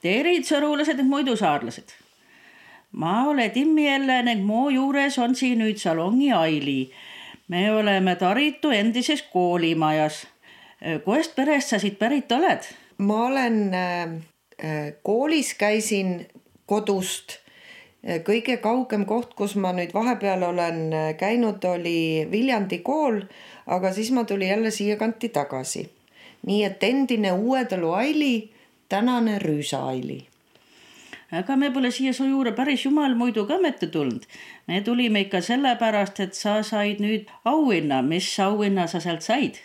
terid, sõrulased ning muidu saarlased. Ma olen Timmi jälle ning mu juures on siin nüüd Salongi Aili. Me oleme Taritu endises koolimajas. Kohest perest sa siit pärit oled? Ma olen koolis, käisin kodust. Kõige kaugem koht, kus ma nüüd vahepeal olen käinud, oli Viljandi kool, aga siis ma tuli jälle siia kanti tagasi. Nii et endine Uuetalu Aili, tänane Rüüsa Aili. Aga me pole siia su juurde päris jumal muidu ka mitte tulnud. Me tulime ikka sellepärast, et sa said nüüd auhinna. Mis auhinna sa sealt said?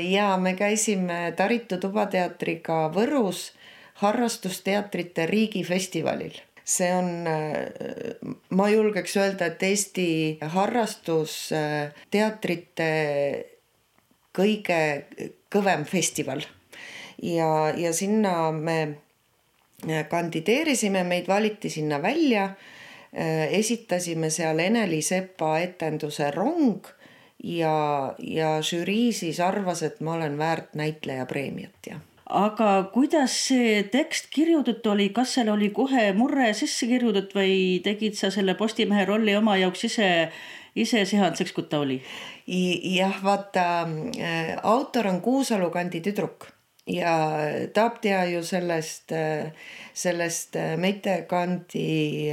Ja me käisime Taritu Tubateatriga Võrus harrastusteatrite riigifestivalil. See on, ma julgeks öelda, et Eesti harrastusteatrite kõige kõvem festival. Ja sinna me kandideerisime, meid valiti sinna välja, esitasime seal Eneli Sepa etenduse Rong ja žürii siis arvas, et ma olen väärt näitleja preemiat. Ja. Aga kuidas see tekst kirjudatud oli? Kas seal oli kohe murre sisse kirjudatud või tegid sa selle Postimehe rolli oma jaoks ise sehanseks, kui ta oli? Jah, vaata, autor on Kuusalu kandi tüdruk ja tahab teha ju sellest Meite kandi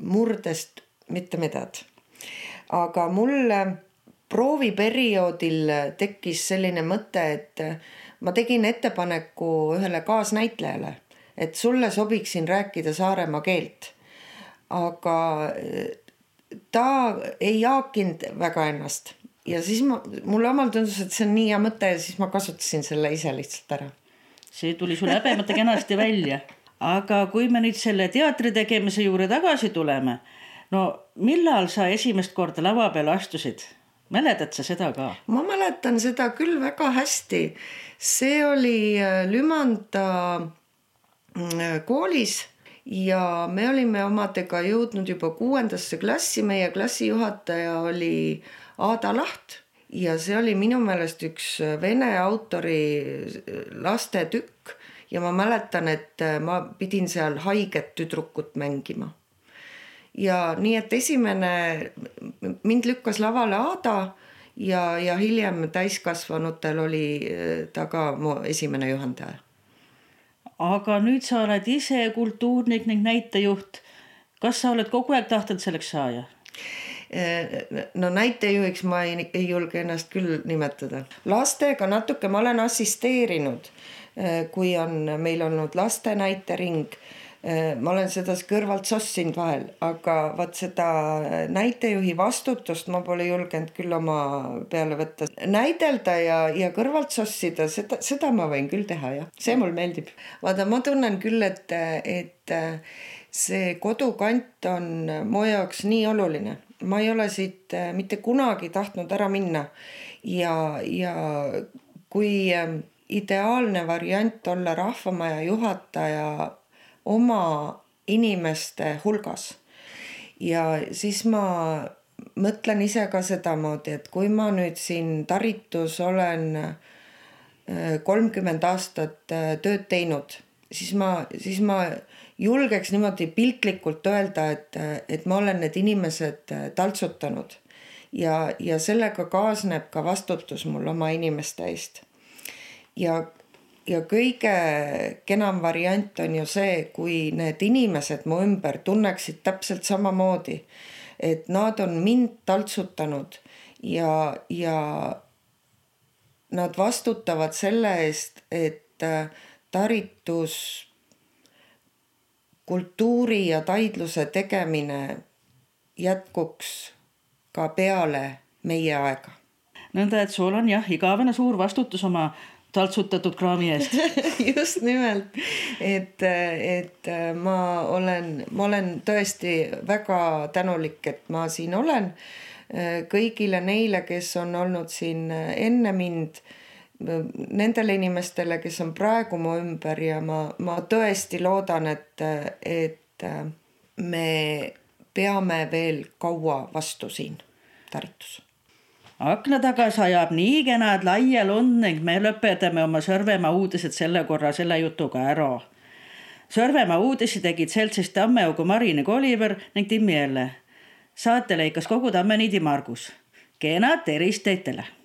murdest mitte midagi. Aga mul prooviperioodil tekkis selline mõte, et ma tegin ettepaneku ühele kaasnäitlejale, et sulle sobiksin rääkida Saaremaa keelt. Aga ta ei haakinud väga ennast. Ja siis mulle omal tundus, et see on nii hea mõte ja siis ma kasutasin selle ise lihtsalt ära. See tuli sul häbemata kenasti välja. Aga kui me nüüd selle teatri tegemise juurde tagasi tuleme, no millal sa esimest korda lava peale astusid? Mäletad sa seda ka? Ma mäletan seda küll väga hästi. See oli Lümanda koolis ja me olime omadega jõudnud juba 6. klassi. Meie klassijuhataja oli Aada Laht ja see oli minu meelest üks vene autori laste tükk ja ma mäletan, et ma pidin seal haiget tüdrukut mängima. Ja nii, et mind lükkas lavale Aada ja hiljem täiskasvanutel oli ta ka mu esimene juhendaja. Aga nüüd sa oled ise kultuurnik ning näitejuht. Kas sa oled kogu aeg tahtnud selleks saada? No näitejuhiks ma ei julge ennast küll nimetada. Lastega natuke ma olen assisteerinud, kui on meil olnud laste näitering. Ma olen seda kõrvalt sossinud vahel, aga vaat seda näitejuhi vastutust ma pole julgenud küll oma peale võtta. Näidelda ja kõrvalt sossida, seda ma võin küll teha, jah. See mul meeldib. Vaata, ma tunnen küll, et see kodukant on mu jaoks nii oluline. Ma ei ole siit mitte kunagi tahtnud ära minna ja kui ideaalne variant olla Rahvamaja juhataja oma inimeste hulgas. Ja siis ma mõtlen ise ka sedamoodi, et kui ma nüüd siin Taritus olen 30 aastat tööd teinud, siis ma julgeks niimoodi piltlikult öelda, et ma olen need inimesed taltsutanud ja sellega kaasneb ka vastutus mul oma inimeste eest. Ja kõige kenam variant on ju see, kui need inimesed mu ümber tunneksid täpselt samamoodi, et nad on mind taltsutanud ja nad vastutavad selle eest, et Taritus kultuuri ja taidluse tegemine jätkuks ka peale meie aega. Nõnda, et sul on igavene suur vastutus oma taltsutatud kraami eest. Just nimelt, et ma olen tõesti väga tänulik, et ma siin olen. Kõigile neile, kes on olnud siin enne mind, nendele inimestele, kes on praegu mu ümber ja ma tõesti loodan, et me peame veel kaua vastu siin Taritus. Akna taga sajab nii kenad laia lund ning me lõpetame oma Sõrvemaa uudised selle korra selle jutuga ära. Sõrvemaa uudisi tegid seltsist Tammeaugu Marine Koliver ning Timmi Elle. Saate lõikas kogu Tammeniidi Margus. Kena terist teitele!